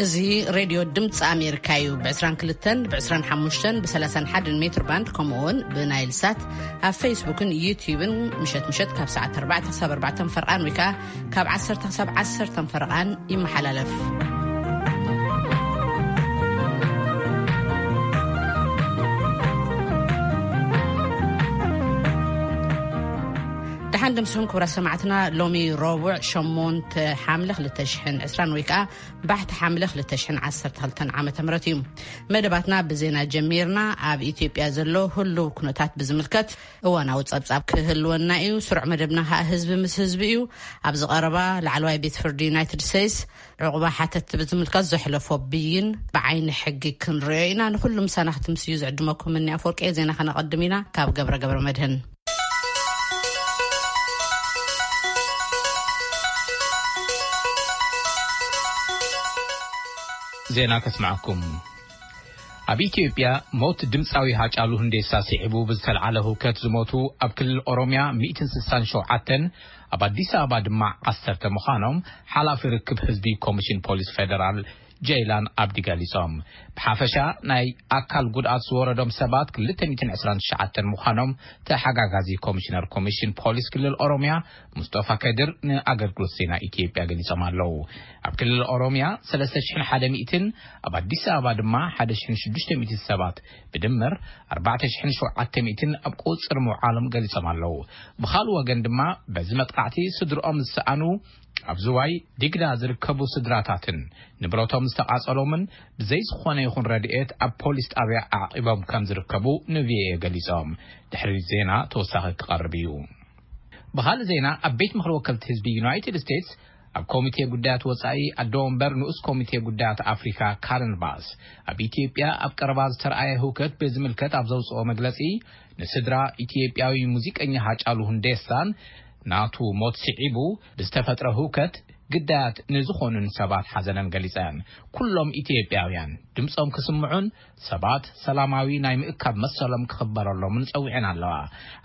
እዚ ሬድዮ ድምፂ ኣሜሪካ እዩ። ብ22፣ ብ25፣ ብ31 ሜትር ባንድ፣ ከምኡ እውን ብናይል ሳት ኣብ ፌስቡክን ዩቲዩብን ምሸት ምሸት ካብ ሰዓት ኣርባዕተ ክሳብ ኣርባዕተ ፈርቓን ወይ ከዓ ካብ ዓሰርተ ክሳብ ዓሰርተ ፈርቓን ይመሓላለፍ። ደሓን ድምስኹም ክቡራት ሰማዕትና። ሎሚ ረቡዕ ሸሞንተ ሓምለ ክልተ ሽሕን ዕስራን ወይ ከዓ ባሕቲ ሓምለ ክልተ ሽሕን ዓሰርተ ክልተን ዓመተ ምህረት እዩ። መደባትና ብዜና ጀሚርና። ኣብ ኢትዮጵያ ዘሎ ህሉው ኩነታት ብዝምልከት እዋናዊ ጸብጻብ ክህልወና እዩ። ስሩዕ መደብና ከዓ ህዝቢ ምስ ህዝቢ እዩ። ኣብዚ ቀረባ ላዕለዋይ ቤት ፍርዲ ዩናይትድ ስቴትስ ዕቑባ ሓተትቲ ብዝምልከት ዘሕለፎ ብይን ብዓይኒ ሕጊ ክንሪኦ ኢና። ንኹሉ ምሳና ክትምስዩ ዝዕድመኩም እኒ ኣፈወርቂ። ዜና ከነቐድም ኢና ካብ ገብረ ገብረ መድህን። ዜና ከስምዓኩም። ኣብ ኢትዮጵያ ሞት ድምፃዊ ሃጫሉ ሁንዴሳ ስዒቡ ብዝተልዓለ ህውከት ዝሞቱ ኣብ ክልል ኦሮምያ ሚእትን ስሳን ሸውዓተን፣ ኣብ ኣዲስ ኣበባ ድማ ዓሰርተ ምዃኖም ሓላፊ ርክብ ህዝቢ ኮሚሽን ፖሊስ ፌደራል ጀይላን ኣብዲ ገሊጾም። ብሓፈሻ ናይ ኣካል ጉድኣት ዝወረዶም ሰባት ክልተ ሚእትን ዕስራን ትሽዓተን ምዃኖም ተሓጋጋዚ ኮሚሽነር ኮሚሽን ፖሊስ ክልል ኦሮምያ ሙስጠፋ ከድር ንኣገልግሎት ዜና ኢትዮጵያ ገሊጾም ኣለዉ። ኣብ ክልል ኦሮምያ ሰለስተ ሽሕን ሓደ ሚእትን፣ ኣብ ኣዲስ ኣበባ ድማ ሓደ ሽሕን ሽዱሽተ ሚእትን ሰባት ብድምር ኣርባዕተ ሽሕን ሸውዓተ ሚእትን ኣብ ቁጽሪ ምውዓሎም ገሊጾም ኣለዉ። ብኻልእ ወገን ድማ በዚ መጥቃዕቲ ስድርኦም ዝሰኣኑ ኣብ ዝዋይ ዲግዳ ዝርከቡ ስድራታትን ንብረቶም ዝተቓጸሎምን ብዘይ ዝኾነ ይኹን ረድኤት ኣብ ፖሊስ ጣብያ ኣዕቂቦም ከም ዝርከቡ ንቪኦኤ ገሊጾም። ድሕሪ ዜና ተወሳኺ ክቐርብ እዩ። ብኻልእ ዜና፣ ኣብ ቤት ምኽሪ ወከልቲ ህዝቢ ዩናይትድ ስቴትስ ኣብ ኮሚቴ ጉዳያት ወጻኢ ኣዶ ወንበር ንኡስ ኮሚቴ ጉዳያት ኣፍሪካ ካረን ባስ ኣብ ኢትዮጵያ ኣብ ቀረባ ዝተረኣየ ህውከት ብዝምልከት ኣብ ዘውፅኦ መግለጺ፣ ንስድራ ኢትዮጵያዊ ሙዚቀኛ ሃጫሉ ሁንዴሳን ናቱ ሞት ስዒቡ ብዝተፈጥረ ህውከት ግዳያት ንዝኾኑን ሰባት ሓዘነን ገሊጸን። ኩሎም ኢትዮጵያውያን ድምጾም ክስምዑን ሰባት ሰላማዊ ናይ ምእካብ መሰሎም ክኽበረሎምን ጸዊዐን ኣለዋ።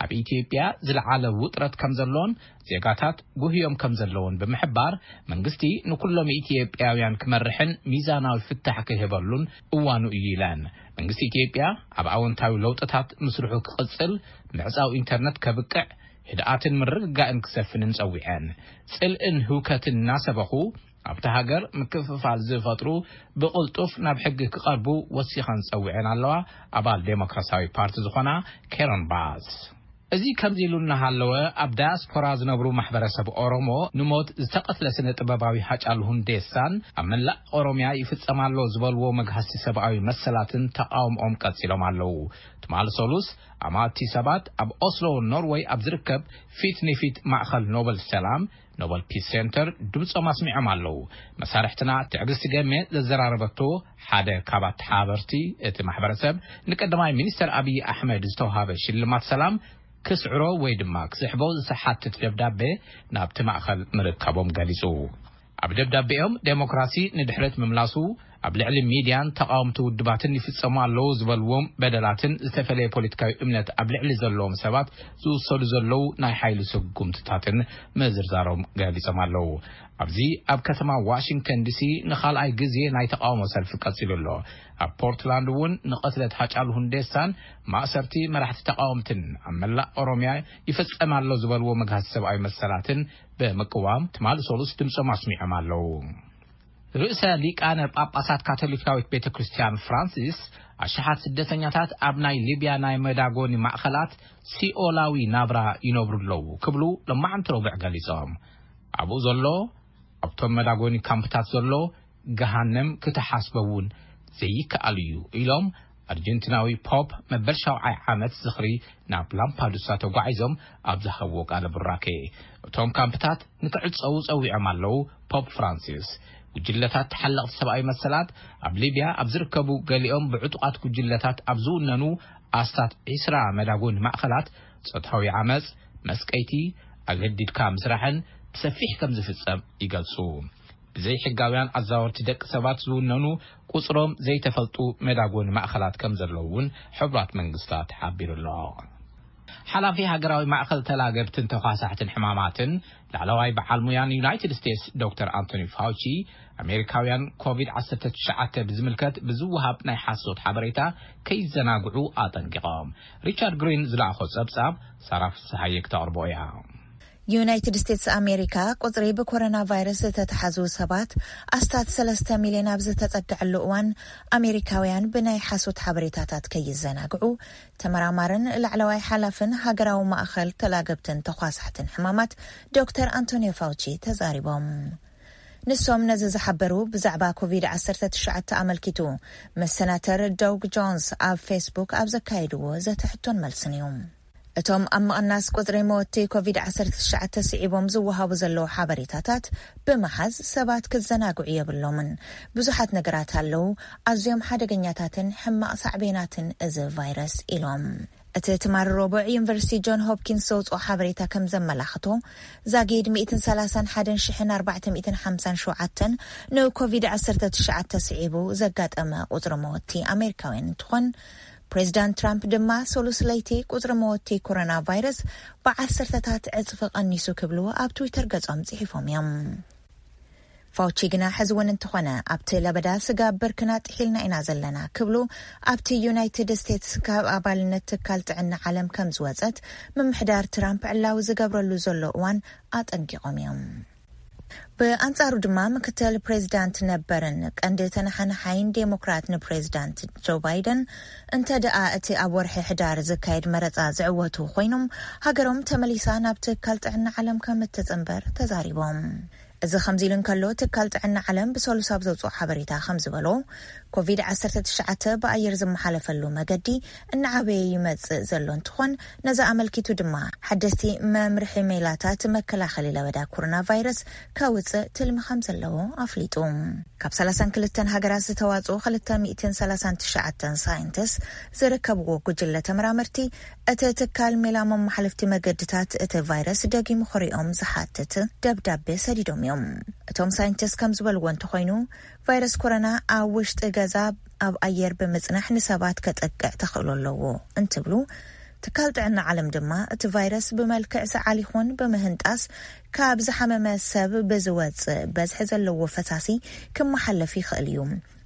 ኣብ ኢትዮጵያ ዝለዓለ ውጥረት ከም ዘሎን ዜጋታት ጉህዮም ከም ዘለውን ብምሕባር፣ መንግስቲ ንኩሎም ኢትዮጵያውያን ክመርሕን ሚዛናዊ ፍታሕ ክህበሉን እዋኑ እዩ ኢለን። መንግስቲ ኢትዮጵያ ኣብ ኣወንታዊ ለውጥታት ምስርሑ ክቕጽል፣ ምዕጻው ኢንተርነት ከብቅዕ፣ ህድኣትን ምርግጋእን ክሰፍንን ጸዊዐን። ጽልእን ህውከትን እናሰበኹ ኣብታ ሃገር ምክፍፋል ዝፈጥሩ ብቕልጡፍ ናብ ሕጊ ክቐርቡ ወሲኸን ጸዊዐን ኣለዋ። ኣባል ዴሞክራሲያዊ ፓርቲ ዝኾና ኬሮን ባስ። እዚ ከምዚ ኢሉ እናሃለወ፣ ኣብ ዳያስፖራ ዝነብሩ ማሕበረሰብ ኦሮሞ ንሞት ዝተቐትለ ስነ ጥበባዊ ሃጫሉ ሁንዴሳን ኣብ መላእ ኦሮምያ ይፍጸም ኣሎ ዝበልዎ መግሃሲ ሰብኣዊ መሰላትን ተቃውሞኦም ቀጺሎም ኣለዉ። ትማሊ ሰሉስ ኣማእቲ ሰባት ኣብ ኦስሎ ኖርወይ ኣብ ዝርከብ ፊት ንፊት ማእኸል ኖበል ሰላም፣ ኖበል ፒስ ሴንተር፣ ድምፆም ኣስሚዖም ኣለዉ። መሳርሕትና ትዕግስቲ ገሜ ዘዘራረበቶ ሓደ ካብ ኣተሓባበርቲ እቲ ማሕበረሰብ፣ ንቀዳማይ ሚኒስተር ኣብይ ኣሕመድ ዝተውሃበ ሽልማት ሰላም ክስዕሮ ወይ ድማ ክስሕቦ ዝሓትት ደብዳቤ ናብቲ ማእኸል ምርካቦም ገሊፁ። ኣብ ደብዳቤኦም፣ ዴሞክራሲ ንድሕረት ምምላሱ፣ ኣብ ልዕሊ ሚድያን ተቓወምቲ ውድባትን ይፍጸሙ ኣለዉ ዝበልዎም በደላትን ዝተፈለየ ፖለቲካዊ እምነት ኣብ ልዕሊ ዘለዎም ሰባት ዝውሰዱ ዘለዉ ናይ ሓይሊ ስጉምትታትን ምዝርዛሮም ገሊጾም ኣለዉ። ኣብዚ ኣብ ከተማ ዋሽንግተን ዲሲ ንኻልኣይ ግዜ ናይ ተቓውሞ ሰልፊ ቀጺሉ ኣሎ። ኣብ ፖርትላንድ እውን ንቕትለት ሃጫሉ ሁንዴሳን ማእሰርቲ መራሕቲ ተቓወምትን ኣብ መላእ ኦሮምያ ይፍጸም ኣሎ ዝበልዎ መግሃሲ ሰብኣዊ መሰላትን ብምቅዋም ትማሊ ሰሉስ ድምጾም ኣስሚዖም ኣለዉ። ርእሰ ሊቃነ ጳጳሳት ካቶሊካዊት ቤተ ክርስቲያን ፍራንሲስ፣ ኣሽሓት ስደተኛታት ኣብ ናይ ሊብያ ናይ መዳጎኒ ማእኸላት ሲኦላዊ ናብራ ይነብሩ ኣለዉ ክብሉ ሎማዓንቲ ረቡዕ ገሊጾም። ኣብኡ ዘሎ፣ ኣብቶም መዳጎኒ ካምፕታት ዘሎ ገሃነም ክትሓስቦ እውን ዘይከኣል እዩ ኢሎም፣ ኣርጀንቲናዊ ፖፕ መበል ሻውዓይ ዓመት ዝኽሪ ናብ ላምፓዱሳ ተጓዒዞም ኣብ ዝሃብዎ ቃለ ቡራኬ፣ እቶም ካምፕታት ንክዕጸዉ ጸዊዖም ኣለዉ። ፖፕ ፍራንሲስ፣ ጉጅለታት ተሓለቕቲ ሰብኣዊ መሰላት ኣብ ሊብያ ኣብ ዝርከቡ፣ ገሊኦም ብዕጡቓት ጉጅለታት ኣብ ዝውነኑ ኣስታት ዒስራ መዳጎኒ ማእኸላት፣ ጾታዊ ዓመጽ፣ መስቀይቲ፣ ኣገዲድካ ምስራሕን ብሰፊሕ ከም ዝፍጸም ይገልጹ። ብዘይሕጋውያን ኣዛወርቲ ደቂ ሰባት ዝውነኑ ቁጽሮም ዘይተፈልጡ መዳጎኒ ማእኸላት ከም ዘለዉ እውን ሕቡራት መንግስታት ሓቢሩ ኣሎ። ሓላፊ ሃገራዊ ማእኸል ተላገብትን ተኳሳሕትን ሕማማትን ላዕለዋይ በዓል ሙያን ዩናይትድ ስቴትስ ዶክተር ኣንቶኒ ፋውቺ፣ ኣሜሪካውያን ኮቪድ ዓሰርተ ትሽዓተ ብዝምልከት ብዝወሃብ ናይ ሓሶት ሓበሬታ ከይዘናግዑ ኣጠንቂቖም። ሪቻርድ ግሪን ዝለኣኾ ጸብጻብ ሳራ ፍስሓየ ክተቕርቦ እያ። ዩናይትድ ስቴትስ ኣሜሪካ ቁጽሪ ብኮሮና ቫይረስ ዝተተሓዙ ሰባት ኣስታት ሰለስተ ሚልዮን ኣብ ዝተጸግዐሉ እዋን፣ ኣሜሪካውያን ብናይ ሓሶት ሓበሬታታት ከይዘናግዑ፣ ተመራማርን ላዕለዋይ ሓላፍን ሃገራዊ ማእኸል ተላገብትን ተኳሳሕትን ሕማማት ዶክተር ኣንቶኒዮ ፋውቺ ተዛሪቦም። ንሶም ነዚ ዝሓበሩ ብዛዕባ ኮቪድ ዓሰርተ ትሽዓተ ኣመልኪቱ ምስ ሰናተር ዶግ ጆንስ ኣብ ፌስቡክ ኣብ ዘካየድዎ ዘተ ሕቶን መልስን እዩ። እቶም ኣብ ምቕናስ ቁጽሪ መወቲ ኮቪድ ዓሰርተ ትሽዓተ ስዒቦም ዝወሃቡ ዘለዉ ሓበሬታታት ብምሓዝ ሰባት ክዘናግዑ የብሎምን። ብዙሓት ነገራት ኣለዉ፣ ኣዝዮም ሓደገኛታትን ሕማቕ ሳዕቤናትን እዚ ቫይረስ ኢሎም። እቲ ትማሊ ረቡዕ ዩኒቨርሲቲ ጆን ሆፕኪንስ ዘውፅኦ ሓበሬታ ከም ዘመላኽቶ፣ ዛጊድ ሚእትን ሰላሳን ሓደን ሽሕን ኣርባዕተ ሚእትን ሓምሳን ሸውዓተን ንኮቪድ ዓሰርተ ትሽዓተ ስዒቡ ዘጋጠመ ቁፅሪ መወቲ ኣሜሪካውያን እንትኾን፣ ፕሬዚዳንት ትራምፕ ድማ ሰሉስ ለይቲ ቁፅሪ መወቲ ኮሮና ቫይረስ ብዓሰርተታት ዕፅፊ ቀኒሱ ክብሉ ኣብ ትዊተር ገፆም ፅሒፎም እዮም። ፋውቺ ግና ሕዚ እውን እንተኾነ ኣብቲ ለበዳ ስጋብ ብርክና ጥሒልና ኢና ዘለና ክብሉ ኣብቲ ዩናይትድ ስቴትስ ካብ ኣባልነት ትካል ጥዕና ዓለም ከም ዝወፀት ምምሕዳር ትራምፕ ዕላዊ ዝገብረሉ ዘሎ እዋን ኣጠንቂቖም እዮም። ብኣንጻሩ ድማ ምክትል ፕሬዚዳንት ነበርን ቀንዲ ተነሓናሓይን ዴሞክራት ንፕሬዚዳንት ጆ ባይደን እንተ ደኣ እቲ ኣብ ወርሒ ሕዳር ዝካየድ መረጻ ዝዕወቱ ኮይኖም ሃገሮም ተመሊሳ ናብ ትካል ጥዕና ዓለም ከም እትጽንበር ተዛሪቦም። እዚ ከምዚ ኢሉ እንከሎ ትካል ጥዕና ዓለም ብሰሉስ ኣብ ዘውፅኦ ሓበሬታ ከም ዝበሎ ኮቪድ ዓሰርተ ትሽዓተ ብኣየር ዝመሓለፈሉ መገዲ እናዓበየ ይመጽእ ዘሎ እንትኾን ነዚ ኣመልኪቱ ድማ ሓደስቲ መምርሒ ሜላታት መከላኸሊ ለበዳ ኮሮና ቫይረስ ከውፅእ ትልሚ ከም ዘለዎ ኣፍሊጡ። ካብ ሰላሳን ክልተን ሃገራት ዝተዋፅኡ ክልተ ሚእትን ሰላሳን ትሽዓተን ሳይንቲስት ዝርከብዎ ጉጅለ ተመራመርቲ እቲ ትካል ሜላ መመሓለፍቲ መገድታት እቲ ቫይረስ ደጊሙ ክሪኦም ዝሓትት ደብዳቤ ሰዲዶም እዮም። እቶም ሳይንቲስት ከም ዝበልዎ እንተኾይኑ ቫይረስ ኮሮና ኣብ ውሽጢ ገዛ ኣብ ኣየር ብምጽናሕ ንሰባት ከጠቅዕ ተኽእሎ ኣለዎ እንትብሉ ትካል ጥዕና ዓለም ድማ እቲ ቫይረስ ብመልክዕ ሰዓል ይኹን ብምህንጣስ ካብ ዝሓመመ ሰብ ብዝወጽእ በዝሒ ዘለዎ ፈሳሲ ክመሓለፍ ይኽእል እዩ።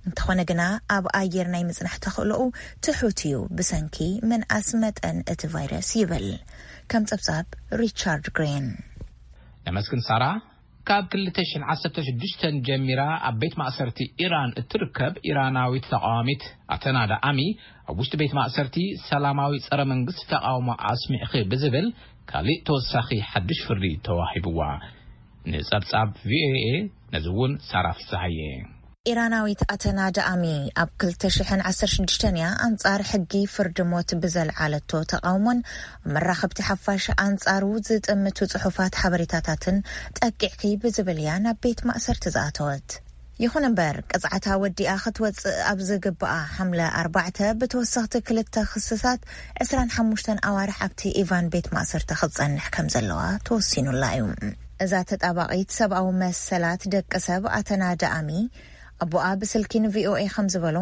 እንተኾነ ግና ኣብ ኣየር ናይ ምጽናሕ ተኽእሎኡ ትሑት እዩ ብሰንኪ ምንኣስ መጠን እቲ ቫይረስ ይብል ከም ጸብጻብ ሪቻርድ ግሪን። ነመስግን ሳራ። ካብ ክልተ ሽሕን ዓሰርተ ሽዱሽተን ጀሚራ ኣብ ቤት ማእሰርቲ ኢራን እትርከብ ኢራናዊት ተቃዋሚት ኣተናዳ ኣሚ ኣብ ውሽጢ ቤት ማእሰርቲ ሰላማዊ ጸረ መንግስቲ ተቃውሞ ኣስሚዕኺ ብዝብል ካሊእ ተወሳኺ ሓድሽ ፍርዲ ተዋሂብዋ። ንጸብጻብ ቪኦኤ ነዚ እውን ሳራ ፍስሃየ። ኢራናዊት ኣተና ዳኣሚ ኣብ ክልተ ሽሕን ዓሰርተ ሽዱሽተን እያ ኣንጻር ሕጊ ፍርዲ ሞት ብዘልዓለቶ ተቓውሞን መራኸብቲ ሓፋሽ ኣንጻሩ ዝጥምቱ ጽሑፋት ሓበሬታታትን ጠቂዕኪ ብዝብል እያ ናብ ቤት ማእሰርቲ ዝኣተወት። ይኹን እምበር ቅጽዓታ ወዲኣ ክትወጽእ ኣብ ዝግብኣ ሓምለ ኣርባዕተ ብተወሰኽቲ ክልተ ክስታት ዕስራን ሓሙሽተን ኣዋርሕ ኣብቲ ኢቫን ቤት ማእሰርቲ ክትጸንሕ ከም ዘለዋ ተወሲኑላ እዩ። እዛ ተጣባቒት ሰብኣዊ መሰላት ደቂ ሰብ ኣተና ዳኣሚ ኣቦኣ ብስልኪ ንቪኦኤ ከም ዝበሎ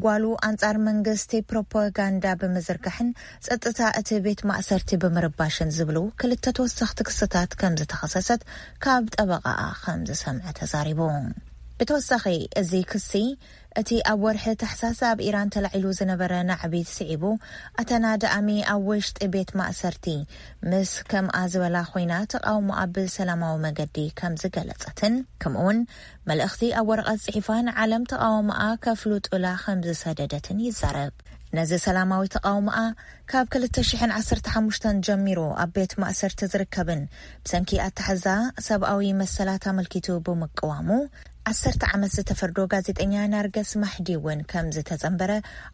ጓሉ ኣንጻር መንግስቲ ፕሮፓጋንዳ ብምዝርጋሕን ጸጥታ እቲ ቤት ማእሰርቲ ብምርባሽን ዝብሉ ክልተ ተወሰኽቲ ክስታት ከም ዝተኸሰሰት ካብ ጠበቓኣ ከም ዝሰምዐ ተዛሪቡ። ብተወሳኺ እዚ ክሲ እቲ ኣብ ወርሒ ታሕሳስ ኣብ ኢራን ተላዒሉ ዝነበረ ናዕቢ ስዒቡ ኣተና ዳኣሚ ኣብ ውሽጢ ቤት ማእሰርቲ ምስ ከምኣ ዝበላ ኮይና ተቓውሞኣ ብሰላማዊ መገዲ ከም ዝገለጸትን ከምኡውን መልእኽቲ ኣብ ወረቐት ጽሒፋ ንዓለም ተቓውሞኣ ከፍሉጡላ ከም ዝሰደደትን ይዛረብ። ነዚ ሰላማዊ ተቓውሞኣ ካብ ክልተ ሽሕን ዓሰርተ ሓሙሽተን ጀሚሩ ኣብ ቤት ማእሰርቲ ዝርከብን ብሰንኪ ኣተሓዛ ሰብኣዊ መሰላት ኣመልኪቱ ብምቅዋሙ ዓሰርተ ዓመት ዝተፈርዶ ጋዜጠኛ ናርገስ ማሕዲ እውን ከም ዝተጸንበረ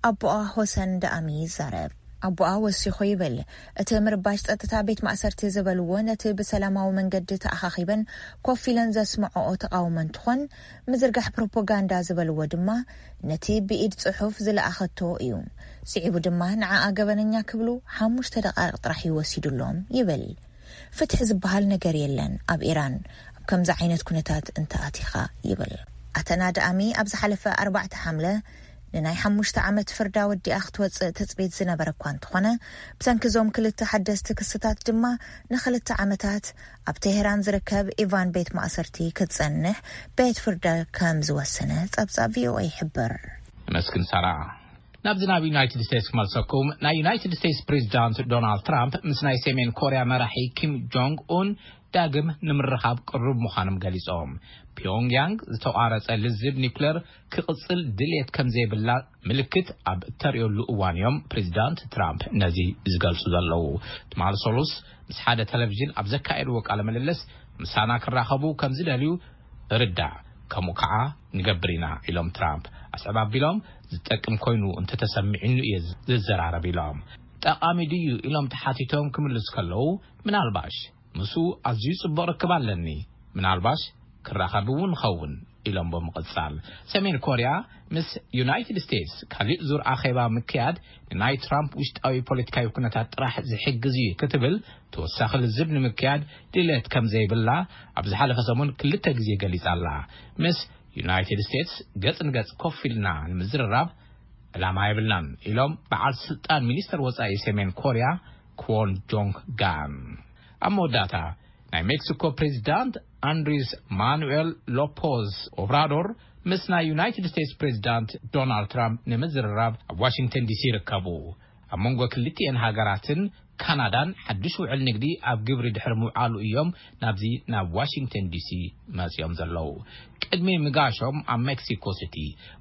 ኣቦኣ ሆሰን ዳኣሚ ይዛረብ። ኣቦኣ ወሲኹ ይብል፣ እቲ ምርባሽ ጸጥታ ቤት ማእሰርቲ ዝበልዎ ነቲ ብሰላማዊ መንገዲ ተኣኻኺበን ኮፍ ኢለን ዘስምዐኦ ተቓውሞ እንትኾን ምዝርጋሕ ፕሮፓጋንዳ ዝበልዎ ድማ ነቲ ብኢድ ጽሑፍ ዝለኣኸቶ እዩ። ስዒቡ ድማ ንዓኣ ገበነኛ ክብሉ ሓሙሽተ ደቓይቕ ጥራሕ እዩ ወሲዱሎም ይብል። ፍትሒ ዝበሃል ነገር የለን ኣብ ኢራን ኣብ ከምዚ ዓይነት ኩነታት እንተኣቲኻ ይብል። ኣተና ዳኣሚ ኣብ ዝሓለፈ ኣርባዕተ ሓምለ ንናይ ሓሙሽተ ዓመት ፍርዳ ወዲኣ ክትወጽእ ትጽቢት ዝነበረ እኳ እንተኾነ፣ ብሰንኪ እዞም ክልተ ሓደስቲ ክስታት ድማ ንኽልተ ዓመታት ኣብ ቴሄራን ዝርከብ ኢቫን ቤት ማእሰርቲ ክትጸንሕ ቤት ፍርዲ ከም ዝወሰነ ጸብጻብ ቪ ኦ ኤ ይሕብር። መስግን ሳራ። ናብዚ ናብ ዩናይትድ ስቴትስ ክመልሰኩም። ናይ ዩናይትድ ስቴትስ ፕሬዚዳንት ዶናልድ ትራምፕ ምስ ናይ ሰሜን ኮርያ መራሒ ኪም ጆንግ ኡን ዳግም ንምርኻብ ቅሩብ ምዃኖም ገሊጾም። ፒዮንግያንግ ዝተቋረጸ ልዝብ ኒኩለር ክቕጽል ድልየት ከም ዘይብላ ምልክት ኣብ እተርእየሉ እዋን እዮም ፕሬዚዳንት ትራምፕ ነዚ ዝገልጹ ዘለዉ። ትማሊ ሰሉስ ምስ ሓደ ቴሌቪዥን ኣብ ዘካየድዎ ቃለ ምልልስ፣ ምሳና ክራኸቡ ከም ዝደልዩ ርዳእ፣ ከምኡ ከዓ ንገብር ኢና ኢሎም ትራምፕ። ኣስዕብ ኣቢሎም፣ ዝጠቅም ኮይኑ እንተተሰሚዕኑ እየ ዝዘራረብ ኢሎም። ጠቓሚ ድዩ ኢሎም ተሓቲቶም ክምልስ ከለዉ፣ ምናልባሽ፣ ምስኡ ኣዝዩ ጽቡቕ ርክብ ኣለኒ፣ ምናልባሽ ክራኸብ እውን ኸውን ኢሎም ብምቕጻል፣ ሰሜን ኮርያ ምስ ዩናይትድ ስቴትስ ካሊእ ዙር ኣኼባ ምክያድ ንናይ ትራምፕ ውሽጣዊ ፖለቲካዊ ኩነታት ጥራሕ ዝሕግዝ እዩ ክትብል፣ ተወሳኺ ልዝብ ንምክያድ ድሌት ከም ዘይብላ ኣብ ዝሓለፈ ሰሙን ክልተ ግዜ ገሊጻ ኣላ። ምስ ዩናይትድ ስቴትስ ገጽ ንገጽ ኮፍ ኢልና ንምዝርራብ ዕላማ የብልናን ኢሎም በዓል ስልጣን ሚኒስተር ወጻኢ ሰሜን ኮርያ ኳን ጆንግ ጋን። ኣብ መወዳእታ፣ ናይ ሜክሲኮ ፕሬዚዳንት ኣንድሪስ ማኑኤል ሎፖዝ ኦብራዶር ምስ ናይ ዩናይትድ ስቴትስ ፕሬዚዳንት ዶናልድ ትራምፕ ንምዝርራብ ኣብ ዋሽንግተን ዲሲ ይርከቡ። ኣብ መንጎ ክልቲኤን ሃገራትን ካናዳን ሓድሽ ውዕል ንግዲ ኣብ ግብሪ ድሕሪ ምውዓሉ እዮም ናብዚ ናብ ዋሽንግተን ዲሲ መጺኦም ዘለዉ። ቅድሚ ምጋሾም ኣብ ሜክሲኮ ሲቲ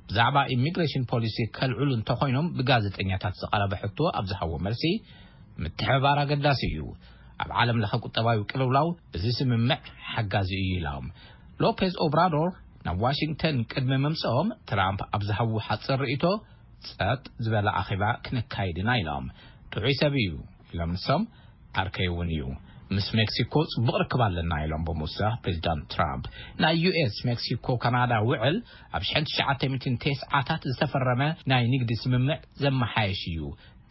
ብዛዕባ ኢሚግሬሽን ፖሊሲ ከልዕሉ እንተኾይኖም ብጋዜጠኛታት ዝቐረበ ሕቶ ኣብ ዝሃቦ መልሲ፣ ምትሕብባር ኣገዳሲ እዩ። ኣብ ዓለም ለኸ ቁጠባዊ ቅልውላው እዚ ስምምዕ ሓጋዚ እዩ ኢሎም። ሎፔዝ ኦብራዶር ናብ ዋሽንግተን ቅድሚ ምምጽኦም ትራምፕ ኣብ ዝሃብዎ ሓጺር ርእይቶ፣ ጸጥ ዝበለ ኣኼባ ክነካይድ ኢና ኢሎም። ጥዑይ ሰብ እዩ ኢሎም ንሶም፣ ዓርከይ እውን እዩ። ምስ ሜክሲኮ ጽቡቕ ርክብ ኣለና ኢሎም ብምውሳኽ ፕሬዚዳንት ትራምፕ፣ ናይ ዩ ኤስ ሜክሲኮ ካናዳ ውዕል ኣብ ሽሕን ትሽዓተ ሚእትን ተስዓታት ዝተፈረመ ናይ ንግዲ ስምምዕ ዘመሓየሽ እዩ።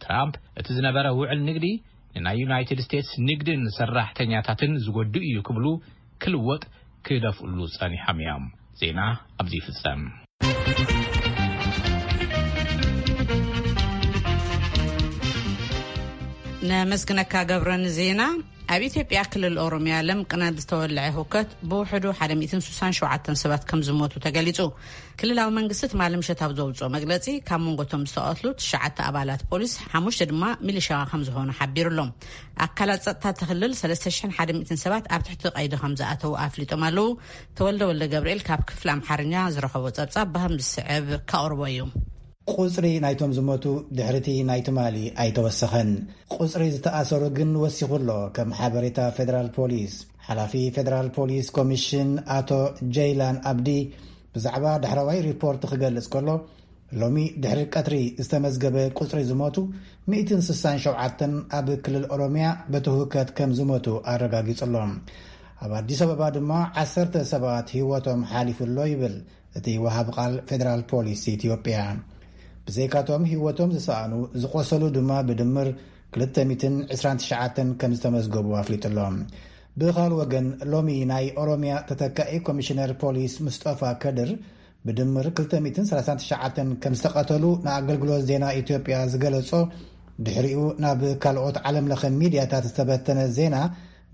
ትራምፕ እቲ ዝነበረ ውዕል ንግዲ ንናይ ዩናይትድ ስቴትስ ንግድን ሰራሕተኛታትን ዝጎድእ እዩ ክብሉ ክልወጥ ክደፍእሉ ጸኒሖም እዮም። ዜና ኣብዚ ይፍጸም። ነመስግነካ ገብረን ዜና። ኣብ ኢትዮጵያ ክልል ኦሮሚያ ለምቅናት ዝተወልዐ ህውከት ብውሕዱ ሓደ ሚእትን ስሳን ሸውዓተን ሰባት ከም ዝሞቱ ተገሊጹ። ክልላዊ መንግስቲ ትማሊ ምሸት ኣብ ዘውፅኦ መግለፂ፣ ካብ መንጎቶም ዝተቐትሉ ትሽዓተ ኣባላት ፖሊስ፣ ሓሙሽተ ድማ ሚሊሻ ከም ዝኾኑ ሓቢሩ ኣሎ። ኣካላት ጸጥታ እቲ ክልል ሰለስተ ሽሕን ሓደ ሚእትን ሰባት ኣብ ትሕቲ ቀይዲ ከም ዝኣተዉ ኣፍሊጦም ኣለዉ። ተወልደ ወልደ ገብርኤል ካብ ክፍሊ ኣምሓርኛ ዝረኸቦ ጸብጻብ ብከም ዝስዕብ ከቕርቦ እዩ። ቁጽሪ ናይቶም ዝሞቱ ድሕሪቲ ናይ ትማሊ ኣይተወሰኸን። ቁጽሪ ዝተኣሰሩ ግን ወሲኹ ኣሎ፣ ከም ሓበሬታ ፌደራል ፖሊስ። ሓላፊ ፌደራል ፖሊስ ኮሚሽን ኣቶ ጀይላን ኣብዲ ብዛዕባ ዳሕረዋይ ሪፖርት ክገልጽ ከሎ፣ ሎሚ ድሕሪ ቀትሪ ዝተመዝገበ ቁጽሪ ዝሞቱ ሚእትን ስሳን ሸውዓተን ኣብ ክልል ኦሮሚያ በቲ ህውከት ከም ዝሞቱ ኣረጋጊጹ ኣሎ። ኣብ ኣዲስ ኣበባ ድማ ዓሰርተ ሰባት ህይወቶም ሓሊፉ ኣሎ ይብል እቲ ወሃቢ ቃል ፌደራል ፖሊስ ኢትዮጵያ። ብዘይካቶም ህይወቶም ዝሰኣኑ፣ ዝቆሰሉ ድማ ብድምር ክልተ ሚእትን ዕስራን ትሽዓተን ከም ዝተመዝገቡ ኣፍሊጡ ኣሎ። ብኻል ወገን፣ ሎሚ ናይ ኦሮሚያ ተተካኢ ኮሚሽነር ፖሊስ ሙስጠፋ ከድር ብድምር ክልተ ሚእትን ሰላሳን ትሽዓተን ከም ዝተቐተሉ ንኣገልግሎት ዜና ኢትዮጵያ ዝገለጾ፣ ድሕሪኡ ናብ ካልኦት ዓለም ለኸ ሚድያታት ዝተበተነ ዜና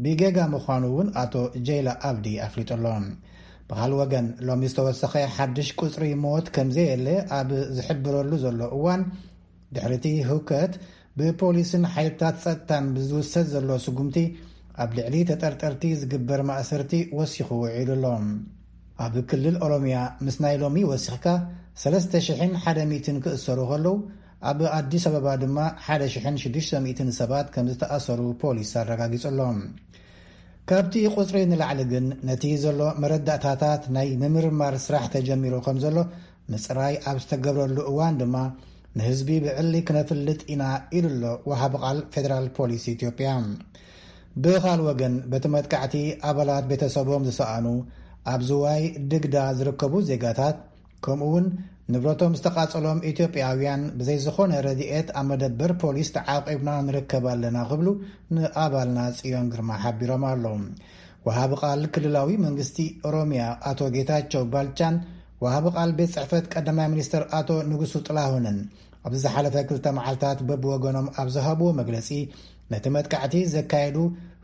ብጌጋ ምዃኑ እውን ኣቶ ጀይላ ኣብዲ ኣፍሊጡ ኣሎ። ብኻል ወገን፣ ሎሚ ዝተወሰኸ ሓድሽ ቁጽሪ ሞት ከም ዘየለ ኣብ ዝሕብረሉ ዘሎ እዋን፣ ድሕሪቲ ህውከት ብፖሊስን ሓይልታት ጸጥታን ብዝውሰድ ዘሎ ስጉምቲ፣ ኣብ ልዕሊ ተጠርጠርቲ ዝግበር ማእሰርቲ ወሲኹ ውዒሉ ኣሎ። ኣብ ክልል ኦሮሚያ ምስ ናይ ሎሚ ወሲኽካ ሰለስተ ሽሕን ሓደ ሚእትን ክእሰሩ ከለዉ፣ ኣብ ኣዲስ ኣበባ ድማ ሓደ ሽሕን ሽዱሽተ ሚእትን ሰባት ከም ዝተኣሰሩ ፖሊስ ኣረጋጊጹ ኣሎ። ካብቲ ቁጽሪ ንላዕሊ ግን፣ ነቲ ዘሎ መረዳእታታት ናይ ምምርማር ስራሕ ተጀሚሩ ከም ዘሎ ምጽራይ ኣብ ዝተገብረሉ እዋን ድማ፣ ንህዝቢ ብዕሊ ክነፍልጥ ኢና ኢሉ ኣሎ ወሃቢ ቃል ፌደራል ፖሊስ ኢትዮጵያ። ብኻል ወገን፣ በቲ መጥቃዕቲ ኣባላት ቤተሰቦም ዝሰኣኑ፣ ኣብ ዝዋይ ድግዳ ዝርከቡ ዜጋታት፣ ከምኡ እውን ንብረቶም ዝተቓጸሎም ኢትዮጵያውያን ብዘይ ዝኾነ ረድኤት ኣብ መደበር ፖሊስ ተዓቂብና ንርከብ ኣለና ክብሉ ንኣባልና ጽዮን ግርማ ሓቢሮም ኣለዉ። ወሃቢ ቃል ክልላዊ መንግስቲ ኦሮሚያ ኣቶ ጌታቸው ባልቻን ወሃቢ ቃል ቤት ጽሕፈት ቀዳማይ ሚኒስትር ኣቶ ንጉሱ ጥላሁንን ኣብዚ ዝሓለፈ ክልተ መዓልታት በብወገኖም ኣብ ዝሃብዎ መግለጺ፣ ነቲ መጥቃዕቲ ዘካየዱ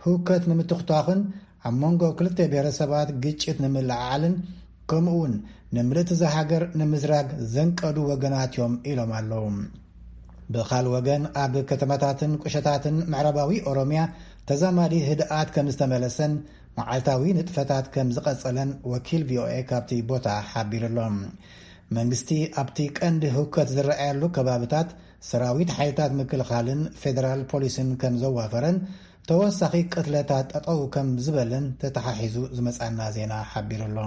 ህውከት ንምትኽቷኽን ኣብ መንጎ ክልተ ብሔረሰባት ግጭት ንምልዕዓልን ከምኡ እውን ንምልእቲ እዛ ሃገር ንምዝራግ ዘንቀዱ ወገናት እዮም ኢሎም ኣለዉ። ብኻል ወገን ኣብ ከተማታትን ቁሸታትን ምዕራባዊ ኦሮምያ ተዛማዲ ህድኣት ከም ዝተመለሰን መዓልታዊ ንጥፈታት ከም ዝቐጸለን ወኪል ቪኦኤ ካብቲ ቦታ ሓቢሩ ኣሎ። መንግስቲ ኣብቲ ቀንዲ ህውከት ዝረኣየሉ ከባብታት ሰራዊት ሓይልታት ምክልኻልን ፌደራል ፖሊስን ከም ዘዋፈረን ተወሳኺ ቅትለታት ጠጠው ከም ዝበለን ተተሓሒዙ ዝመጻና ዜና ሓቢሩ ኣሎ።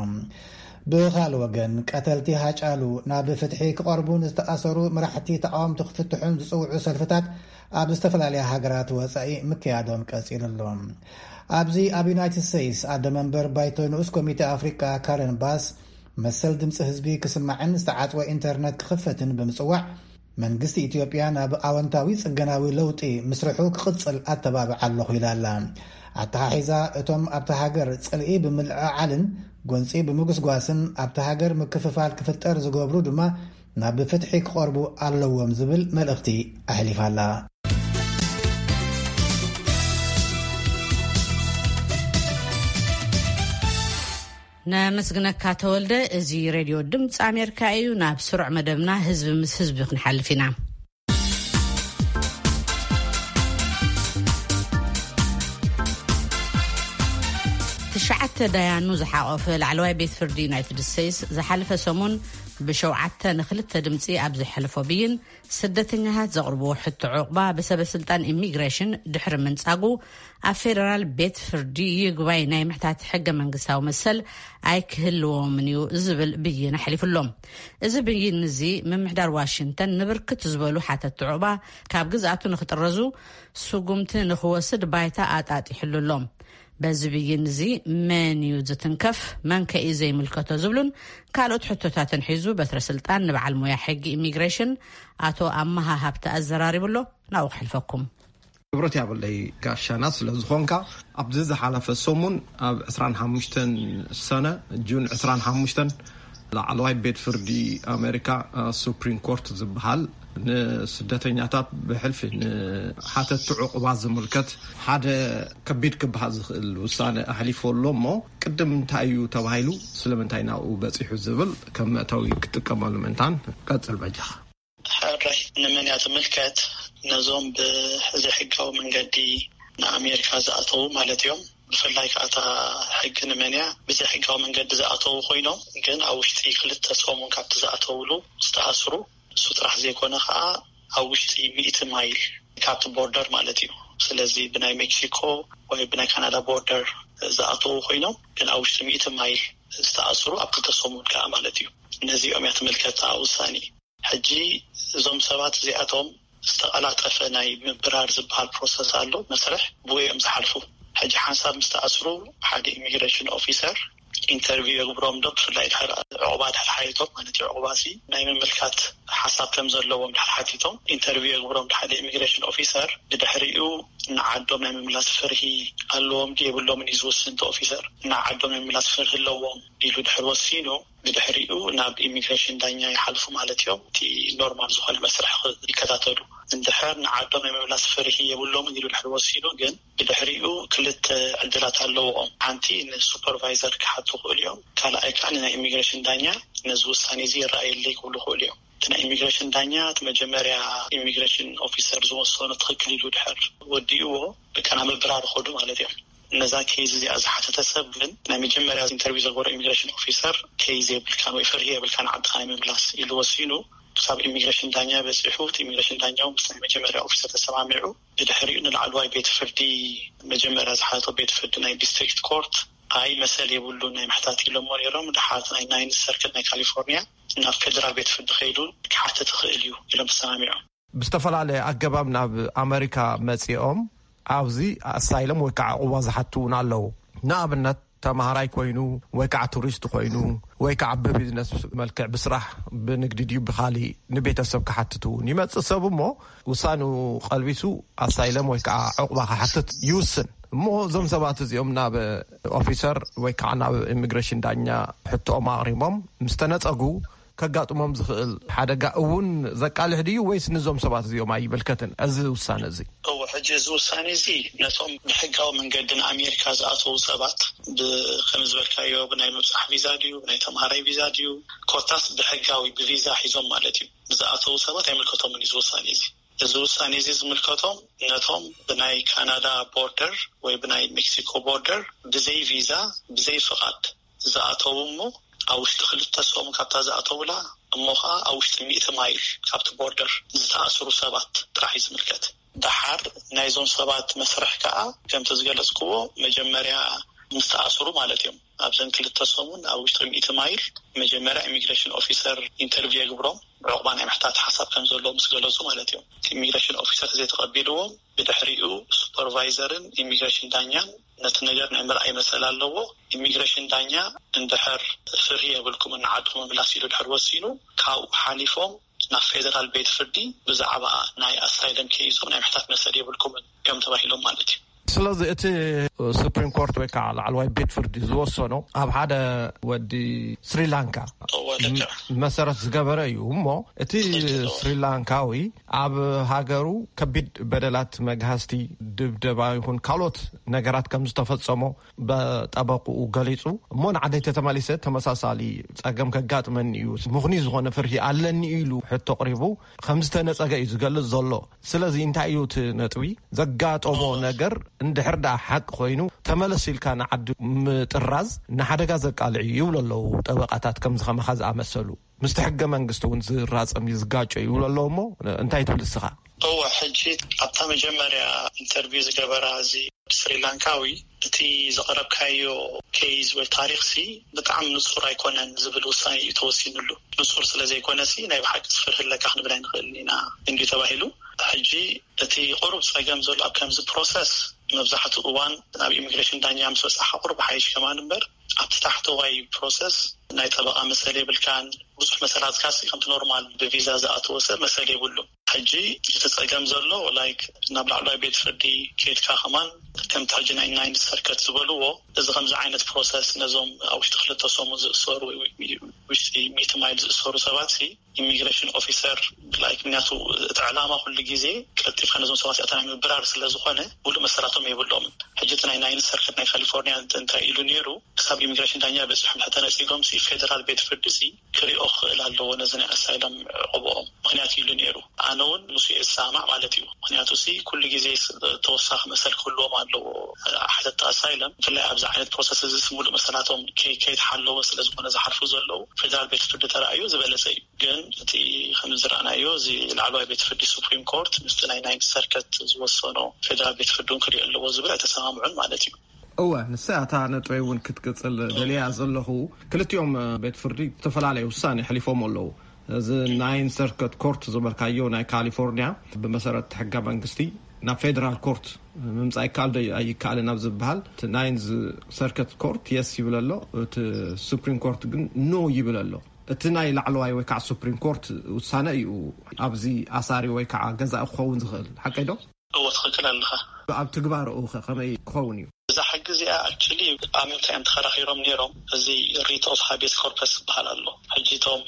ብኻል ወገን ቀተልቲ ሃጫሉ ናብ ፍትሒ ክቐርቡ ንዝተኣሰሩ መራሕቲ ተቃወምቲ ክፍትሑን ዝጽውዑ ሰልፍታት ኣብ ዝተፈላለያ ሃገራት ወጻኢ ምክያዶም ቀጺሉ ኣሎ። ኣብዚ ኣብ ዩናይትድ ስቴትስ ኣደ መንበር ባይቶ ንኡስ ኮሚቴ ኣፍሪቃ ካረን ባስ መሰል ድምፂ ህዝቢ ክስማዕን ዝተዓጽወ ኢንተርነት ክኽፈትን ብምጽዋዕ መንግስቲ ኢትዮጵያ ናብ ኣወንታዊ ጽገናዊ ለውጢ ምስርሑ ክቕጽል ኣተባብዓ ኣለኹ ኢላ ኣላ። ኣተሓሒዛ እቶም ኣብታ ሃገር ጽልኢ ብምልዕዓልን ጎንፂ ብምጉስጓስን ኣብታ ሃገር ምክፍፋል ክፍጠር ዝገብሩ ድማ ናብ ፍትሒ ክቐርቡ ኣለዎም ዝብል መልእኽቲ ኣሕሊፋ ኣላ። ነመስግነካ ተወልደ። እዚ ሬድዮ ድምፂ ኣሜሪካ እዩ። ናብ ስሩዕ መደብና ህዝቢ ምስ ህዝቢ ክንሓልፍ ኢና። ትሽዓተ ዳያኑ ዝሓቆፈ ላዕለዋይ ቤት ፍርዲ ዩናይትድ ስቴትስ ዝሓለፈ ሰሙን ብሸውዓተ ንክልተ ድምፂ ኣብ ዘሕለፎ ብይን፣ ስደተኛታት ዘቕርብዎ ሕቶ ዕቑባ ብሰበ ስልጣን ኢሚግሬሽን ድሕሪ ምንጻጉ፣ ኣብ ፌደራል ቤት ፍርዲ ይግባይ ናይ ምሕታት ሕገ መንግስታዊ መሰል ኣይክህልዎምን እዩ ዝብል ብይን ኣሕሊፉሎም። እዚ ብይን እዚ ምምሕዳር ዋሽንግተን ንብርክት ዝበሉ ሓተቲ ዕቑባ ካብ ግዝኣቱ ንክጥረዙ ስጉምቲ ንክወስድ ባይታ ኣጣጢሕሉ ኣሎ። በዚ ብይን እዚ መን እዩ ዝትንከፍ፣ መን ከ እዩ ዘይምልከቶ ዝብሉን ካልኦት ሕቶታትን ሒዙ በትረ ስልጣን ንበዓል ሞያ ሕጊ ኢሚግሬሽን ኣቶ ኣመሃ ሃብተ ኣዘራሪቡ ኣሎ። ናብኡ ክሕልፈኩም። ክብረት ያብለይ ጋሻና ስለ ዝኾንካ። ኣብዚ ዝሓለፈ ሰሙን ኣብ ዕስራን ሓሙሽተን ሰነ፣ ጁን ዕስራን ሓሙሽተን፣ ላዕለዋይ ቤት ፍርዲ ኣሜሪካ፣ ሱፕሪም ኮርት ዝበሃል፣ ንስደተኛታት ብሕልፊ ንሓተቲ ዕቑባ ዝምልከት ሓደ ከቢድ ክበሃል ዝኽእል ውሳነ ኣሕሊፉ ኣሎ እሞ፣ ቅድም እንታይ እዩ ተባሂሉ፣ ስለምንታይ ናብኡ በጺሑ ዝብል ከም መእተዊ ክጥቀመሉ ምእንታን ቀጽል በጃኻ። ሕራይ ንመን እያ ትምልከት? ነዞም ብዘይሕጋዊ መንገዲ ንኣሜሪካ ዝኣተዉ ማለት እዮም። ብፍላይ ከዓ እታ ሕጊ ንመን እያ? ብዘይሕጋዊ መንገዲ ዝኣተዉ ኮይኖም ግን ኣብ ውሽጢ ክልተ ሰሙን ካብቲ ዝኣተውሉ ዝተኣስሩ፣ እሱ ጥራሕ ዘይኮነ ከዓ ኣብ ውሽጢ ሚእቲ ማይል ካብቲ ቦርደር ማለት እዩ። ስለዚ ብናይ ሜክሲኮ ወይ ብናይ ካናዳ ቦርደር ዝኣተዉ ኮይኖም ግን ኣብ ውሽጢ ሚእቲ ማይል ዝተኣስሩ ኣብ ክልተ ሰሙን ከዓ ማለት እዩ። ነዚኦም እያ ትምልከት እታ ውሳኔ። ሕጂ እዞም ሰባት እዚኣቶም ዝተቐላጠፈ ናይ ምብራር ዝበሃል ፕሮሰስ ኣሎ፣ መስርሕ ብኡ እዮም ዝሓልፉ። ሕጂ ሓንሳብ ምስ ተኣስሩ ሓደ ኢሚግሬሽን ኦፊሰር ኢንተርቪው የግብሮም ዶ፣ ብፍላይ ድሕሪ ዕቑባ ድሕሪ ሓቲቶም ማለት እዩ። ዕቑባ ሲ ናይ ምምልካት ሓሳብ ከም ዘለዎም ድሕሪ ሓቲቶም ኢንተርቪው የግብሮም ሓደ ኢሚግሬሽን ኦፊሰር። ብድሕሪኡ ንዓዶም ናይ ምምላስ ፍርሂ ኣለዎም ድዩ የብሎምን እዩ ዝውስን እቲ ኦፊሰር። ንዓዶም ናይ ምምላስ ፍርሂ ኣለዎም ኢሉ ድሕሪ ወሲኑ፣ ብድሕሪኡ ናብ ኢሚግሬሽን ዳኛ ይሓልፉ ማለት እዮም። እቲ ኖርማል ዝኾነ መስርሕ ይከታተሉ። እንድሕር ንዓዶም ናይ ምምላስ ፍርሂ የብሎምን ኢሉ ድሕሪ ወሲኑ ግን፣ ብድሕሪኡ ክልተ ዕድላት ኣለዎም። ሓንቲ ንሱፐርቫይዘር ክሓቱ ይኽእሉ እዮም። ካልኣይ ከዓ ንናይ ኢሚግሬሽን ዳኛ ነዚ ውሳኔ እዚ ይረኣየለይ ክብሉ ይኽእሉ እዮም። እቲ ናይ ኢሚግሬሽን ዳኛ እቲ መጀመርያ ኢሚግሬሽን ኦፊሰር ዝወሰኖ ትኽክል ኢሉ ድሕር ወዲእዎ፣ በቃ ናብ ምብራር ይኸዱ ማለት እዮም። ነዛ ኬዝ እዚኣ ዝሓተተ ሰብ ግን ናይ መጀመርያ ኢንተርቪው ዘገበሮ ኢሚግሬሽን ኦፊሰር ኬዝ የብልካን ወይ ፍርሂ የብልካን ዓድኻ ናይ ምምላስ ኢሉ ወሲኑ፣ ክሳብ ኢሚግሬሽን ዳኛ በፂሑ፣ እቲ ኢሚግሬሽን ዳኛ እውን ምስ ናይ መጀመርያ ኦፊሰር ተሰማሚዑ፣ ብድሕሪኡ ንላዕለዋይ ቤት ፍርዲ፣ መጀመርያ ዝሓተቶ ቤት ፍርዲ ናይ ዲስትሪክት ኮርት፣ ኣይ መሰል የብሉን ናይ ምሕታት ኢሎሞ ነይሮም። ድሓር ናይ ናይንዝ ሰርክል ናይ ካሊፎርኒያ ናብ ፌደራል ቤት ፍርዲ ከይዱ ክሓትት ይኽእል እዩ ኢሎም ተሰማሚዖም። ብዝተፈላለየ ኣገባብ ናብ ኣመሪካ መጺኦም ኣብዚ ኣሳይለም ወይ ከዓ ዕቑባ ዝሓቱ እውን ኣለዉ። ንኣብነት ተማሃራይ ኮይኑ ወይ ከዓ ቱሪስት ኮይኑ ወይ ከዓ ብቢዝነስ መልክዕ ብስራሕ ብንግዲ ድዩ ብኻሊእ ንቤተሰብ ክሓትት እውን ይመጽእ ሰብ እሞ ውሳኔኡ ቀልቢሱ ኣሳይለም ወይ ከዓ ዕቑባ ክሓትት ይውስን። እሞ እዞም ሰባት እዚኦም ናብ ኦፊሰር ወይ ከዓ ናብ ኢሚግሬሽን ዳኛ ሕቶኦም ኣቕሪቦም ምስ ተነጸጉ ከጋጥሞም ዝኽእል ሓደጋ እውን ዘቃልሕ ድዩ ወይስ ንዞም ሰባት እዚኦም ኣይምልከትን እዚ ውሳነ እዚ? እወ፣ ሕጂ እዚ ውሳኔ እዚ ነቶም ብሕጋዊ መንገዲ ንኣሜሪካ ዝኣተዉ ሰባት ብ-፣ ከም ዝበልካዮ ብናይ ምብጻሕ ቪዛ ድዩ፣ ብናይ ተምሃራይ ቪዛ ድዩ፣ ኮታስ ብሕጋዊ ብቪዛ ሒዞም ማለት እዩ ዝኣተዉ ሰባት ኣይምልከቶምን እዩ እዚ ውሳኔ እዚ። እዚ ውሳኔ እዚ ዝምልከቶም ነቶም ብናይ ካናዳ ቦርደር ወይ ብናይ ሜክሲኮ ቦርደር ብዘይ ቪዛ ብዘይ ፍቓድ ዝኣተዉ እሞ ኣብ ውሽጢ ክልተ ሰሙን ካብታ ዝኣተውላ እሞ ከዓ ኣብ ውሽጢ ሚእቲ ማይል ካብቲ ቦርደር ዝተኣስሩ ሰባት ጥራሕ እዩ ዝምልከት። ደሓር ናይዞም ሰባት መስርሕ ከዓ ከምቲ ዝገለጽክዎ መጀመርያ ምስ ተኣስሩ ማለት እዮም ኣብዘን ክልተ ሰሙን ኣብ ውሽጢ ሚእቲ ማይል መጀመርያ ኢሚግሬሽን ኦፊሰር ኢንተርቪው የግብሮም። ዕቑባ ናይ ምሕታት ሓሳብ ከም ዘለዎ ምስ ገለጹ ማለት እዮም። ኢሚግሬሽን ኦፊሰር ዘይተቐቢልዎም ብድሕሪኡ ሱፐርቫይዘርን ኢሚግሬሽን ዳኛን ነቲ ነገር ናይ ምርኣይ መሰል ኣለዎ። ኢሚግሬሽን ዳኛ እንድሕር ፍርሂ የብልኩምን ንዓድኹም ምምላስ ኢሉ ድሕር ወሲኑ ካብኡ ሓሊፎም ናብ ፌደራል ቤት ፍርዲ ብዛዕባ ናይ ኣሳይለም ኬይዞም ናይ ምሕታት መሰል የብልኩምን እዮም ተባሂሎም ማለት እዩ። ስለዚ እቲ ሱፕሪም ኮርት ወይ ከዓ ላዕለዋይ ቤት ፍርዲ ዝወሰኖ ኣብ ሓደ ወዲ ስሪላንካ መሰረት ዝገበረ እዩ። እሞ እቲ ስሪላንካዊ ኣብ ሃገሩ ከቢድ በደላት መግሃስቲ፣ ድብደባ ይኹን ካልኦት ነገራት ከም ዝተፈጸሞ በጠበቁኡ ገሊጹ። እሞ ንዓደይ ተተመሊሰ ተመሳሳሊ ጸገም ከጋጥመኒ እዩ፣ ምኽኑይ ዝኾነ ፍርሂ ኣለኒ ኢሉ ሕቶ ኣቕሪቡ ከም ዝተነጸገ እዩ ዝገልጽ ዘሎ። ስለዚ እንታይ እዩ እቲ ነጥቢ? ዘጋጠሞ ነገር እንድሕር ደኣ ሓቂ ኮይኑ ተመለስ ኢልካ ንዓዲ ምጥራዝ ንሓደጋ ዘቃልዕ እዩ ይብሉ ኣለዉ ጠበቃታት ከምዚ ከማኻ ዝኣመሰሉ። ምስቲ ሕገ መንግስቲ እውን ዝራጸም እዩ ዝጋጮ ይብሉ ኣለዉ። እሞ እንታይ ትብል እስኻ? እወ፣ ሕጂ ኣብታ መጀመርያ ኢንተርቪው ዝገበራ እዚ ስሪላንካዊ እቲ ዘቕረብካዮ ኬዝ ወይ ታሪኽሲ ብጣዕሚ ንጹር ኣይኮነን ዝብል ውሳኔ እዩ ተወሲኑሉ። ንጹር ስለ ዘይኮነሲ ናይ ብሓቂ ዝፍርህ ኣለካ ክንብል ኣይንኽእልን ኢና እንዲ ተባሂሉ። ሕጂ እቲ ቁሩብ ጸገም ዘሎ ኣብ ከምዚ ፕሮሰስ መብዛሕትኡ እዋን ኣብ ኢሚግሬሽን ዳኛ ምስ በጻሓ ቁሩብ ሓይሽ ከማን እምበር ኣብቲ ታሕተዋይ ፕሮሰስ ናይ ጠበቃ መሰል የብልካን። ብዙሕ መሰላትካሲ ከምቲ ኖርማል ብቪዛ ዝኣተወ ሰብ መሰል የብሉን። ሕጂ እቲ ጸገም ዘሎ ላይክ ናብ ላዕለዋይ ቤት ፍርዲ ኬድካ ከማን ከምቲ ሕጂ ናይ ናይንት ሰርከት ዝበልዎ እዚ ከምዚ ዓይነት ፕሮሰስ ነዞም ኣብ ውሽጢ ክልተ ሰሙን ዝእሰሩ ውሽጢ ሚእቲ ማይል ዝእሰሩ ሰባት ሲ ኢሚግሬሽን ኦፊሰር ላይክ ምክንያቱ እቲ ዕላማ ኩሉ ግዜ ቀልጢፍካ ነዞም ሰባት ኣታ ናይ ምብራር ስለ ዝኾነ ሙሉእ መሰላቶም የብሎምን። ሕጂ እቲ ናይ ናይንት ሰርከት ናይ ካሊፎርኒያ እንታይ ኢሉ ነይሩ? ክሳብ ኢሚግሬሽን ዳኛ በፂሖም ተነፂጎምሲ ፌደራል ቤት ፍርዲሲ ክሪኦ ክኽእል ኣለዎ ነዚ ናይ ኣሳይሎም ዕቑብኦም ምክንያት ኢሉ ነይሩ። ኣነ እውን ምስ እየ ዝሰማማዕ ማለት እዩ። ምክንያቱ ሲ ኩሉ ግዜ ተወሳኺ መሰል ክህልዎም ኣለዎ። ሓተቲ ኣሳይሎም ብፍላይ ኣብዚ ዓይነት ፕሮሰስ እዚ ሙሉእ መሰላቶም ከይተሓለወ ስለዝኮነ ዝሓልፉ ዘለዉ ፌደራል ቤት ፍርዲ ተራእዮ ዝበለፀ እዩ። ግን እቲ ከም ዝረኣናዮ እዚ ላዕለዋይ ቤት ፍርዲ ሱፕሪም ኮርት ምስቲ ናይ ናይንት ሰርከት ዝወሰኖ ፌደራል ቤት ፍርዲ እውን ክሪኦ ኣለዎ ዝብል ኣይተሰማምዑን ማለት እዩ። እወ፣ ንሳ እታ ነጥበይ እውን ክትቅጽል ደልያ ዘለኹ። ክልቲኦም ቤት ፍርዲ ዝተፈላለየ ውሳኔ ኣሕሊፎም ኣለዉ። እዚ ናይን ሰርከት ኮርት ዝበልካዮ ናይ ካሊፎርኒያ ብመሰረት ሕገ መንግስቲ ናብ ፌደራል ኮርት ምምጻእ ይከኣል ዶ ኣይከኣልን ኣብ ዝበሃል እቲ ናይን ሰርከት ኮርት የስ ይብል ኣሎ፣ እቲ ሱፕሪም ኮርት ግን ኖ ይብል ኣሎ። እቲ ናይ ላዕለዋይ ወይ ከዓ ሱፕሪም ኮርት ውሳነ እዩ ኣብዚ ኣሳሪ ወይ ከዓ ገዛኢ ክኸውን ዝኽእል፣ ሓቀይ ዶ? እወ፣ ትኽክል ኣለኻ። ኣብ ትግባረኡ ከ ከመይ ክኸውን እዩ? እዛ ሕጊ እዚኣ ኣክቹሊ ኣብ ምንታይ እዮም ተኸራኺሮም ነይሮም? እዚ ሪት ኦፍ ሃቤስ ኮርፐስ ዝበሃል ኣሎ። ሕጂ እቶም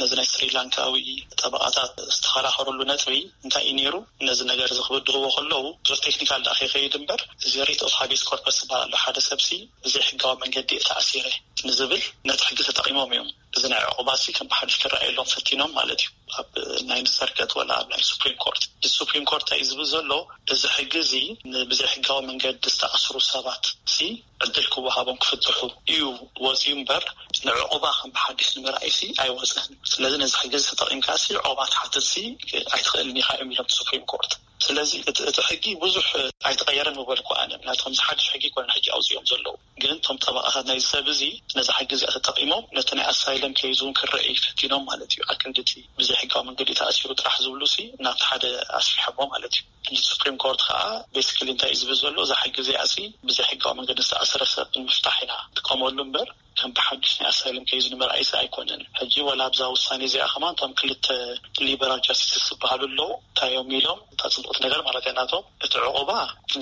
ነዚ ናይ ስሪላንካዊ ጠበቓታት ዝተኸራኸሩሉ ነጥቢ እንታይ እዩ ነይሩ? ነዚ ነገር እዚ ክብድህዎ ከለዉ ብዙሕ ቴክኒካል ደኣ ከይኸይድ እምበር፣ እዚ ሪት ኦፍ ሃቤስ ኮርፐስ ዝበሃል ኣሎ። ሓደ ሰብሲ ብዘይ ሕጋዊ መንገዲ እየ ተኣሲረ ንዝብል ነቲ ሕጊ ተጠቒሞም እዮም። እዚ ናይ ዕቑባሲ ከም ብሓድሽ ክረኣየሎም ፈቲኖም ማለት እዩ። ኣብ ናይ ሰርቀት ወላ ኣብ ናይ ሱፕሪም ኮርት፣ እዚ ሱፕሪም ኮርት እንታይ እዩ ዝብል ዘሎ? እዚ ሕጊ እዚ ንብዘይ ሕጋዊ መንገዲ ዝተኣስሩ ሰባት ሲ ዕድል ክወሃቦም ክፍትሑ እዩ ወፂኡ እምበር፣ ንዕቑባ ከም ብሓድሽ ንምርኣይ ሲ ኣይወፀን። ስለዚ ነዚ ሕጊ እዚ ተጠቒምካ ሲ ዕቑባ ትሓትት ሲ ኣይትኽእልን ኢኻ እዮም ኢሎም ሱፕሪም ኮርት። ስለዚ እቲ ሕጊ ብዙሕ ኣይተቐየረን ምበልኩ ኣነ። ምክንያቱ ከምዚ ሓድሽ ሕጊ ይኮነን ሕጂ ኣውፅኦም ዘለዉ። ግን እቶም ጠበቓታት ናይዚ ሰብ እዚ ነዚ ሕጊ እዚኣ ተጠቒሞም ነቲ ናይ ኣሳይለም ኬዝ እውን ክረአ ይፈቲኖም ማለት እዩ። ኣክንድቲ ብዘይ ሕጋዊ መንገዲ ተኣሲሩ ጥራሕ ዝብሉ ሲ ናብቲ ሓደ ኣስፊሖሞ ማለት እዩ። ሕጂ ሱፕሪም ኮርት ከዓ ቤስክሊ እንታይ እዩ ዝብል ዘሎ? እዛ ሕጊ እዚኣ ሲ ብዘይ ሕጋዊ መንገዲ ዝተኣሰረ ሰብ ንምፍታሕ ኢና ንጥቀመሉ እምበር ከም ብሓድሽ ናይ ኣሳይለም ኬዝ ንምርኣይሲ ኣይኮነን። ሕጂ ወላ ኣብዛ ውሳኔ እዚኣ ከማን እቶም ክልተ ሊበራል ጃስቲስስ ዝበሃሉ ኣለዉ። እንታይ እዮም ኢሎም? እታ ጽቡቕ እቲ ነገር ማለት ናቶም እቲ ዕቑባ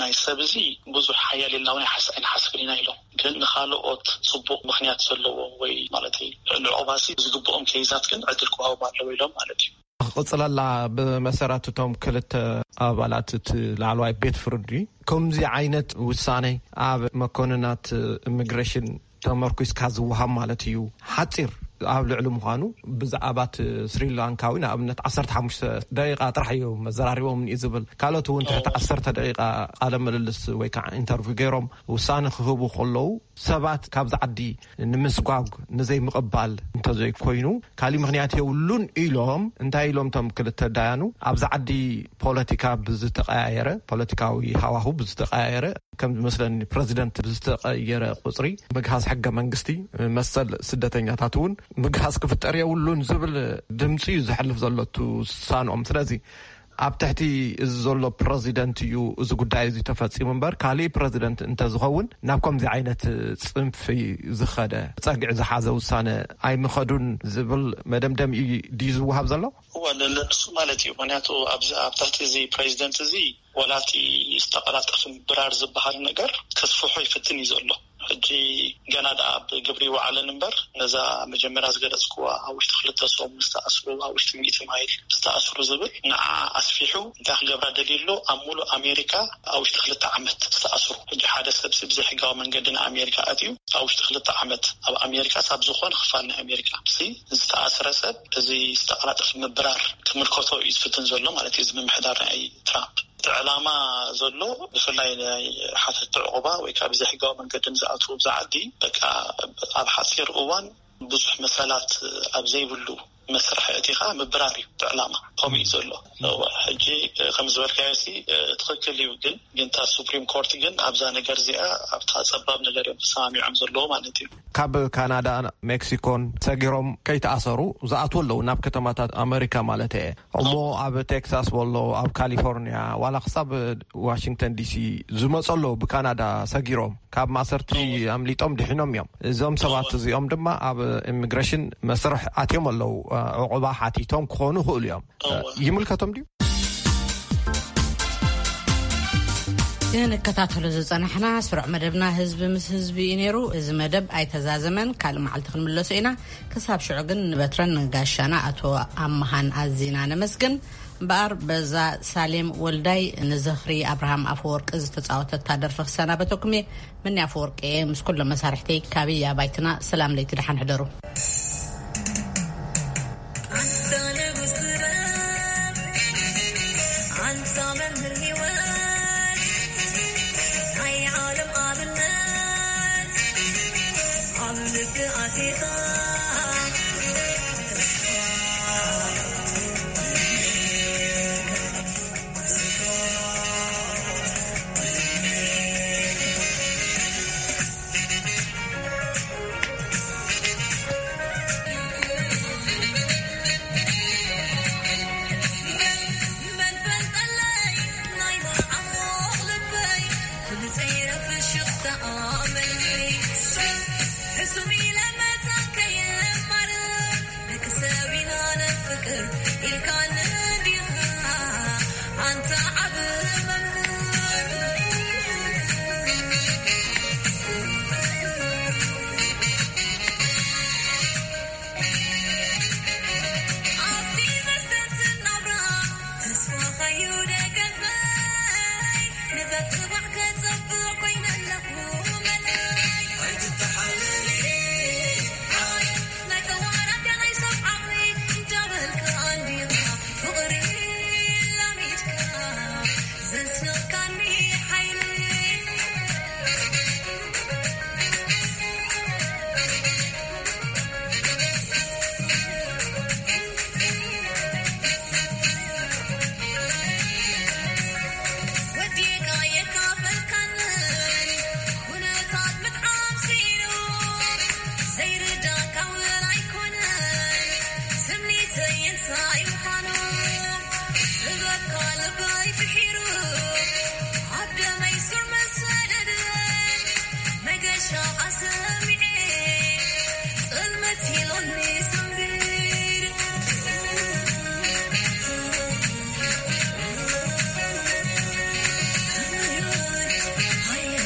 ናይ ሰብ እዚ ብዙሕ ሓያል ኢልና እውን ኣይሓስ- ኣይንሓስብን ኢና ኢሎም። ግን ንኻልኦት ጽቡቕ ምኽንያት ዘለዎ ወይ ማለት ንዕቑባ ሲ ዝግብኦም ከይዛት ግን ዕድል ክዋሃቦም ኣለዎ ኢሎም ማለት እዩ። ክቕጽለላ ብመሰረት እቶም ክልተ ኣባላት እቲ ላዕለዋይ ቤት ፍርዲ ከምዚ ዓይነት ውሳኔ ኣብ መኮንናት ኢሚግሬሽን ተመርኩስካ ዝወሃብ ማለት እዩ። ሓፂር ኣብ ልዕሊ ምዃኑ ብዛዕባ እቲ ስሪላንካዊ ንኣብነት ዓሰርተ ሓሙሽተ ደቂቃ ጥራሕ እዩ መዘራሪቦም እዩ ዝብል። ካልኦት እውን ትሕቲ ዓሰርተ ደቂቃ ቃለ ምልልስ ወይ ከዓ ኢንተርቪው ገይሮም ውሳነ ክህቡ ከለዉ ሰባት ካብዚ ዓዲ ንምስጓግ ንዘይምቕባል እንተዘይኮይኑ ካሊእ ምኽንያት የብሉን ኢሎም። እንታይ ኢሎም እቶም ክልተ ዳያኑ? ኣብዚ ዓዲ ፖለቲካ ብዝተቀያየረ፣ ፖለቲካዊ ሃዋሁ ብዝተቀያየረ፣ ከም ዝመስለኒ ፕረዚደንት ብዝተቀየረ ቁፅሪ ምግሃስ ሕገ መንግስቲ፣ መሰል ስደተኛታት እውን ምግሃስ ክፍጠር የብሉን ዝብል ድምፂ እዩ ዘሕልፍ ዘሎ እቲ ውሳንኦም። ስለዚ ኣብ ትሕቲ እዚ ዘሎ ፕረዚደንት እዩ እዚ ጉዳይ እዚ ተፈፂሙ እምበር፣ ካሊእ ፕረዚደንት እንተዝኸውን ናብ ከምዚ ዓይነት ፅንፊ ዝኸደ፣ ፀግዒ ዝሓዘ ውሳነ ኣይምኸዱን ዝብል መደምደሚ ድዩ ዝወሃብ ዘሎ? እወ፣ ለ- ለ- ንሱ ማለት እዩ። ምክንያቱ ኣብዚ ኣብ ትሕቲ እዚ ፕሬዚደንት እዚ ወላቲ ዝተቐላጠፈ ምብራር ዝበሃል ነገር ከስፍሖ ይፍትን እዩ ዘሎ። ሕጂ ገና ደኣ ኣብ ግብሪ ይወዓለን እምበር፣ ነዛ መጀመርያ ዝገለጽኩዋ ኣብ ውሽጢ ክልተ ሰሙን ዝተኣስሩ፣ ኣብ ውሽጢ ሚእቲ ማይል ዝተኣስሩ ዝብል ንዓ ኣስፊሑ እንታይ ክገብራ ደልዩ ኣሎ? ኣብ ሙሉእ ኣሜሪካ ኣብ ውሽጢ ክልተ ዓመት ዝተኣስሩ። ሕጂ ሓደ ሰብ ሲ ብዘይሕጋዊ መንገዲ ንኣሜሪካ ኣትዩ ኣብ ውሽጢ ክልተ ዓመት ኣብ ኣሜሪካ ሳብ ዝኾነ ክፋል ናይ ኣሜሪካ ሲ ዝተኣስረ ሰብ እዚ ዝተቐላጠፈ ምብራር ክምልከቶ እዩ ዝፍትን ዘሎ ማለት እዩ፣ እዚ ምምሕዳር ናይ ትራምፕ። እቲ ዕላማ ዘሎ ብፍላይ ናይ ሓተቲ ዕቑባ ወይ ከዓ ብዘይሕጋዊ መንገዲ ንዝኣትዉ ኣብዚ ዓዲ በቃ ኣብ ሓፂር እዋን ብዙሕ መሰላት ኣብ ዘይብሉ መስርሕ እቲ ከዓ ምብራር እዩ እቲ ዕላማ። ከምኡ እዩ ዘሎ። እወ፣ ሕጂ ከም ዝበልካዮ ሲ ትኽክል እዩ፣ ግን ግን እታ ሱፕሪም ኮርት ግን ኣብዛ ነገር እዚኣ ኣብታ ፀባብ ነገር እዮም ተሰማሚዖም ዘለዎ ማለት እዩ። ካብ ካናዳ፣ ሜክሲኮን ሰጊሮም ከይተኣሰሩ ዝኣትዉ ኣለዉ ናብ ከተማታት ኣመሪካ ማለት እየ። እሞ ኣብ ቴክሳስ ወሎ፣ ኣብ ካሊፎርኒያ ዋላ ክሳብ ዋሽንግተን ዲሲ ዝመፁ ኣለዉ ብካናዳ ሰጊሮም። ካብ ማእሰርቲ ኣምሊጦም ድሒኖም እዮም። እዞም ሰባት እዚኦም ድማ ኣብ ኢሚግሬሽን መስርሕ ኣትዮም ኣለዉ። ዕቑባ ሓቲቶም ክኾኑ ይኽእሉ እዮም። ይምልከቶም ድዩ? ንከታተሎ ዝጸናሕና ስሩዕ መደብና ህዝቢ ምስ ህዝቢ እዩ ነይሩ። እዚ መደብ ኣይተዛዘመን፣ ካልእ መዓልቲ ክንምለሶ ኢና። ክሳብ ሽዑ ግን ንበትረን ንጋሻና ኣቶ ኣመሃን ኣዚና ነመስግን። እምበኣር በዛ ሳሌም ወልዳይ ንዝኽሪ ኣብርሃም ኣፈወርቂ ዝተጻወተታ ደርፊ ክሰናበተኩም እየ። ምኒ ኣፈወርቂ እየ፣ ምስ ኩሎም መሳርሕተይ ካበይ ኣባይትና። ሰላም ለይቲ፣ ደሓን ሕደሩ።